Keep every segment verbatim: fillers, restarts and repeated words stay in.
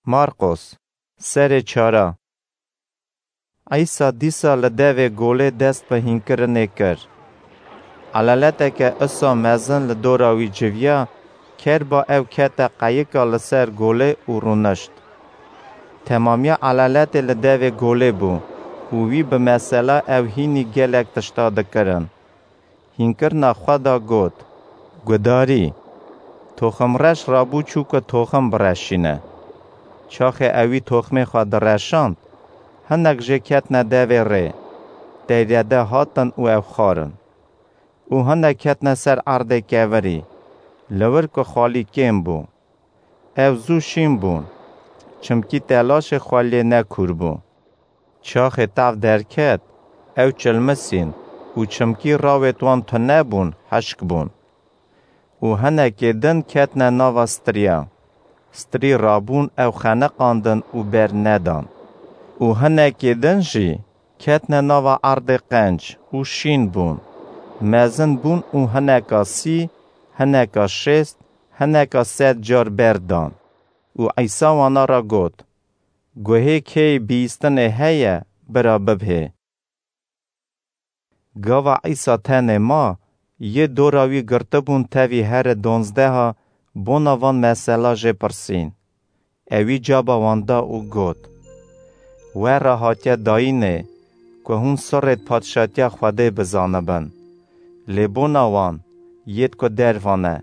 Marqos, serê çara. Îsa dîsa li devê golê dest bi hînkirinê kir. Elaleteke usa mezin li dora wî civiya, kerba ew kete qeyika li ser golê û rûnişt. Temamiya elaletê li devê golê bû û wî bi mesela ew hînî gelek tişta dikirin. Hînkirina xwe da got, Gudarî, toximreş rabû çû ku toxim bireşîne. Çaxê ewî toxmê xwe direşand, hinek jê ketine devê rê, deyrede hatin û ew xwarin. Û hinek ketine ser erdê kevirî, li wir ku xalî kêm bû. Ew zû şîn bûn, çimkî telaşê xwe lê nekûr bû. Çaxê tav derket, ew çilmisîn û çimkî rawêt wan tune bûn, hişk bûn. Û hinekê din ketine nava striya. Strî rabûn ew xeniqandin û ber nedan. Û hinekê din jî ketine nava erdê qenc û şîn bûn. Mezin bûn û hineka sî, hineka şêst, hineka sed car ber dan. Û Îsa wana re got, Guhê kêyî bihîstinê heye, bira bibhê. Gava Îsa tenê ma, yê dora wî girtibûn tevî herê donzdeha, bona van mesela jê pirsîn. Ewî caba wan da û got, We re hatiye dayînê, ku hûn sirrêd padşatiya Xwedê bizanibin. Lê bona wan, yêd ku derva ne,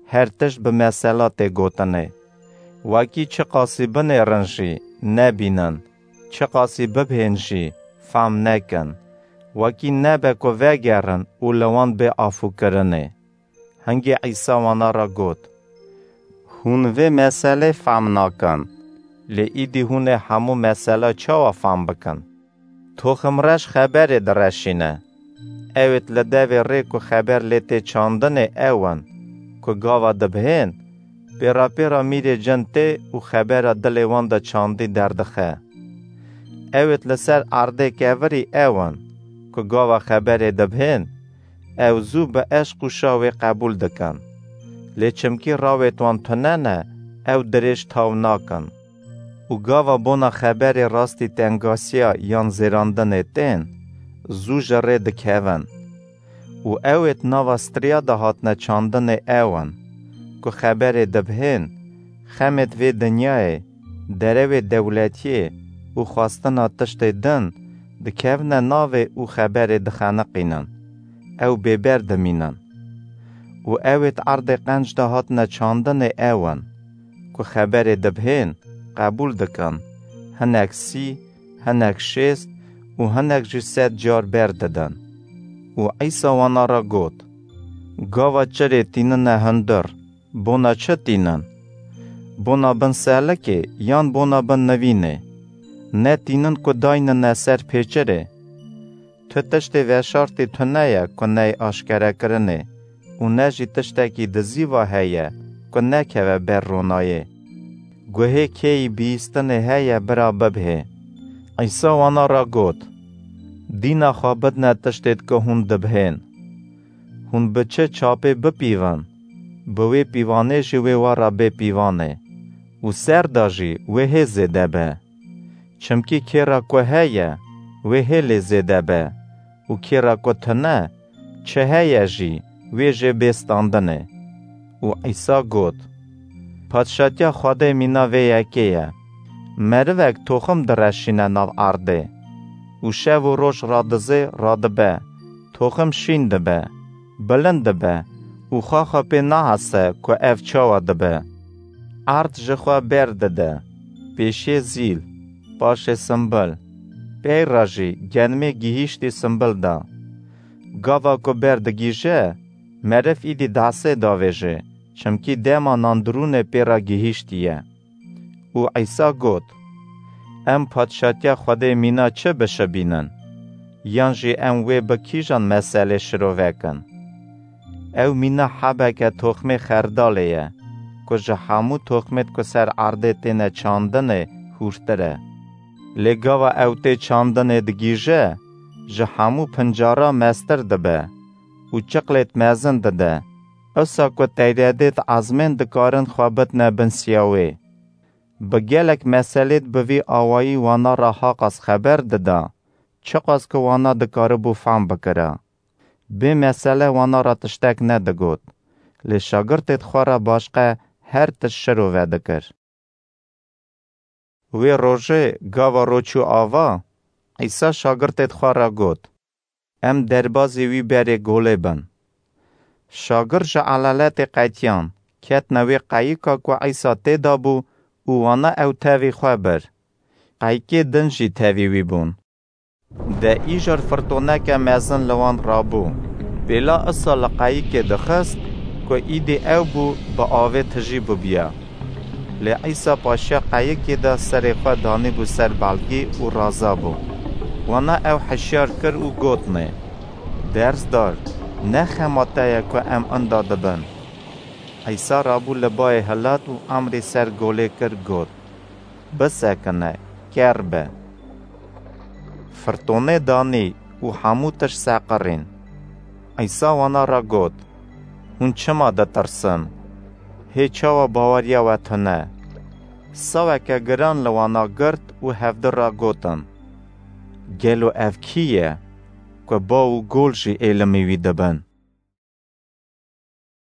her tişt bi mesela tê gotinê. Wekî çiqasî binêrin jî, nebînin, çiqasî bibhên jî, fam nekin. Wekî nebe ku vegerin û li wan bê afûkirinê. Hingê Îsa wana re got, Hûn vê meselê fam nakin, lê îdî hûn ê hemû mesela çawa fam bikin? Toximreş xeberê direşîne. Ewêt li devê rê ku xeber lê tê çandinê ew in, ku gava dibihên, pêra pêra mîrê cin tê û xebera dilê wan de çandî derdixe. Ewêt li ser erdê kevirî ew in, ku gava xeberê dibihên, ew zû bi eşq û şawê qebûl dikin. Lê çimkî rawêt wan tune ne, ew dirêj taw nakin. Û gava bona xeberê rastî tengasiya yan zêrandinê tên, zû ji rê dikevin. Û ewêt nava striya de hatine çandinê ew in, ku xeberê dibihên, xemêd vê dinyayê, derewê dewletiyê û xwestina tiştê din, dikevine navê û xeberê dixeniqînin. Ew bêber dimînin. Û ewêt erdê qenc de hatine çandinê ew in, ku xeberê dibihên, qebûl dikin, hinek sî, hinek şêst û hinek jî sed car ber didin. Û Îsa wana re got, Gava çirê tînine hundir, bona çi tînin? Bona bin selikê yan bona bin nivînê? Ne tînin ku daynine ser pêçirê? Tu tiştê veşartî tune ye ku neyê aşkerekirinê û ne jî tiştekî dizîva heye ku nekeve ber ronayê. Guhê kêyî bihîstinê heye, bira bibhê. Îsa wana re got, Dîna xwe bidine tiştêd ku hûn dibhên. Hûn bi çi çapê bipîvin, bi wê pîvanê jî wê we re bê pîvanê û ser de jî wê hê zêde be. Çimkî kê re ku heye, wê hê lê zêde be û kê re ku tune, çi heye jî, wê jê bê standinê. Û Îsa got, Padşatiya Xwedê mîna vê yekê ye. Merivek toxim direşîne nav erdê û şev û roj radizê, radibe, toxim şîn dibe, bilind dibe û xwe xwe pê nahese ku ev çawa dibe. Erd ji xwe ber dide, pêşiyê zîl, paşê simbil, pey re jî genimê gihîştî simbil de. Gava ku ber digihîje, meriv îdî dehsê davêje, çimkî dema nandirûnê pê re gihîştiye. Û Îsa got, Em Padşatiya Xwedê mîna çi bişibînin? Yan jî em wê bi kîjan meselê şirovekin? Ew mîna hebeke toxmê xerdalê ye, ku ji hemû toxmêd ku ser erdê têne çandinê hûrtir e. Lê gava ew tê çandinê digihîje, ji hemû pincara mestir dibe û çiqlêd mezin dide, usa ku teyredêd ezmên dikarin xwe bidine bin siya wê. Bi gelek meselêd bi vî awayî wana ra haqas xeber dida, çiqas ku wana dikaribû fehm bikira. Bê mesele wana ra tiştek nedigot, lê şagirtêd xwe ra başqe her tişt şiro vedikir. Wê rojê gava ro çû ava, Îsa şagirtêd xwe ra got, Em derbazî wî berê golê bin. Şagirt ji elaletê qetiyan, ketine wê qeyika ku Îsa tê de bû û wana ew tevî xwe bir. Qeyikê din jî tevî wî bûn. De îcar firtoneke mezin li wan rabû. Pêla Îsa li qeyikê dixist ku îdî ew bû bi avê tijî bibiya. Lê Îsa paşiya qeyikê de serê xwe danîbû ser belgî û raza bû. Wana ew hişyar kir û gotnê, Dersdar, ne xema te ye ku em inda dibin. Îsa rabû li bayê hilat û emrê ser golê kir, got, Bisekine, ker be. Firtonê danî û hemû tişt seqirîn. Îsa wana re got, Hûn çima ditirsin? Hê çawa baweriya we tune? Saweke giran li wana girt û hevdi re gotin, Gelo ev kî ye, ku bav û gol jî êlimî wî dibin?